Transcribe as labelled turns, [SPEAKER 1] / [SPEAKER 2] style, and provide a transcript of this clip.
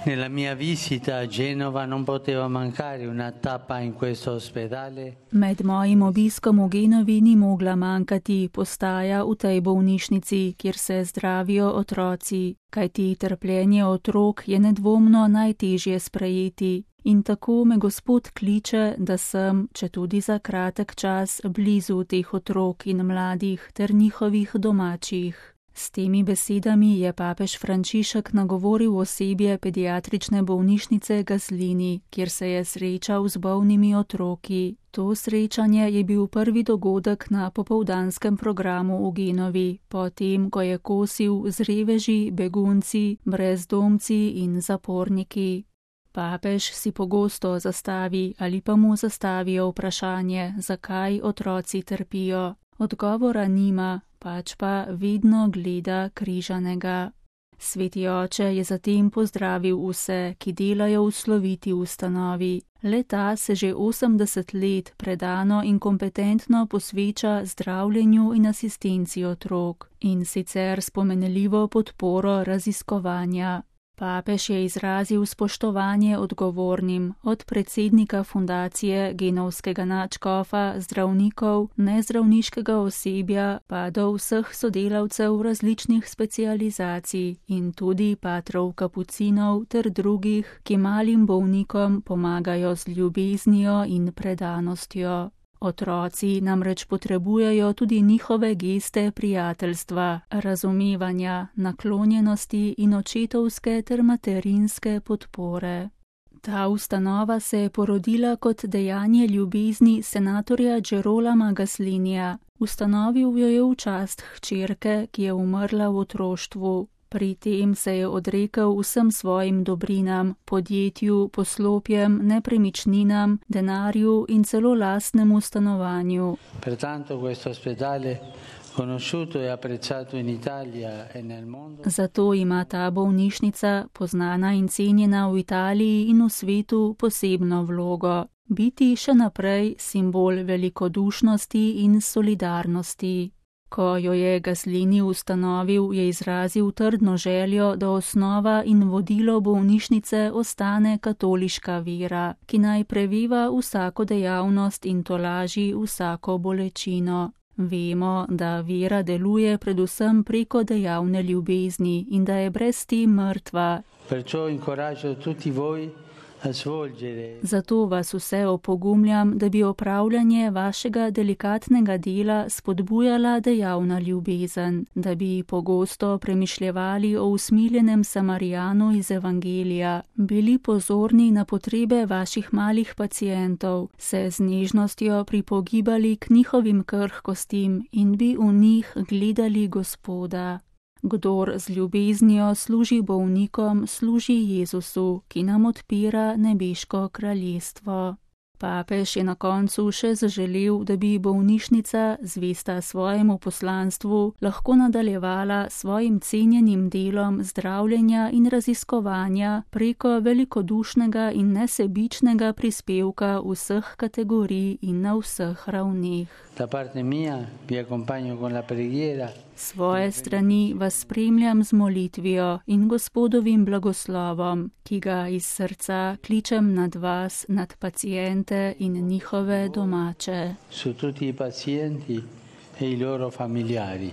[SPEAKER 1] Nella mia visita a Genova non poteva mancare una tappa in questo ospedale.
[SPEAKER 2] Med mojim obiskom v Genovi ni mogla manjkati postaja v tej bolnišnici, kjer se zdravijo otroci, kajti trpljenje otrok je nedvomno najtežje sprejeti. In tako me Gospod kliče, da sem, četudi za kratek čas, blizu teh otrok in mladih ter njihovih domačih. S temi besedami je papež Frančišek nagovoril osebje pediatrične bolnišnice Gaslini, kjer se je srečal z bolnimi otroki. To srečanje je bil prvi dogodek na popoldanskem programu v Genovi, potem, ko je kosil z reveži, begunci, brezdomci in zaporniki. Papež si pogosto zastavi ali pa mu zastavijo vprašanje, zakaj otroci trpijo. Odgovora nima, pač pa vedno gleda križanega. Sveti oče je zatem pozdravil vse, ki delajo v sloviti ustanovi. Le-ta se že 80 let predano in kompetentno posveča zdravljenju in asistenci otrok, in sicer s pomenljivo podporo raziskovanja. Papež je izrazil spoštovanje odgovornim, od predsednika fundacije, genovskega nadškofa, zdravnikov, nezdravniškega osebja, pa do vseh sodelavcev različnih specializacij in tudi patrov kapucinov ter drugih, ki malim bolnikom pomagajo z ljubeznijo in predanostjo. Otroci namreč potrebujejo tudi njihove geste prijateljstva, razumevanja, naklonjenosti in očetovske ter materinske podpore. Ta ustanova se je porodila kot dejanje ljubezni senatorja Gerolama Gaslinija. Ustanovil jo je v čast hčerke, ki je umrla v otroštvu. Pri tem se je odrekel vsem svojim dobrinam, podjetju, poslopjem, nepremičninam, denarju in celo lastnemu stanovanju. Zato ima ta bolnišnica, poznana in cenjena v Italiji in v svetu, posebno vlogo. Biti še naprej simbol velikodušnosti in solidarnosti. Ko jo je Gaslini ustanovil, je izrazil trdno željo, da osnova in vodilo bolnišnice ostane katoliška vera, ki naj preveva vsako dejavnost in tolaži vsako bolečino. Vemo, da vera deluje predvsem preko dejavne ljubezni in da je brez te mrtva. Zato vas vse opogumljam, da bi opravljanje vašega delikatnega dela spodbujala dejavna ljubezen, da bi pogosto premišljevali o usmiljenem Samarijanu iz Evangelija, bili pozorni na potrebe vaših malih pacientov, se z nežnostjo pripogibali k njihovim krhkostim in bi v njih gledali Gospoda. Kdor z ljubeznijo služi bolnikom, služi Jezusu, ki nam odpira nebeško kraljestvo. Papež je na koncu še zaželel, da bi bolnišnica, zvesta svojemu poslanstvu, lahko nadaljevala svojim cenjenim delom zdravljenja in raziskovanja preko velikodušnega in nesebičnega prispevka vseh kategorij in na vseh ravneh. Svoje strani vas spremljam z molitvijo in Gospodovim blagoslovom, ki ga iz srca kličem nad vas, nad paciente in njihove domače.
[SPEAKER 1] Su tutti i pazienti e i loro familiari.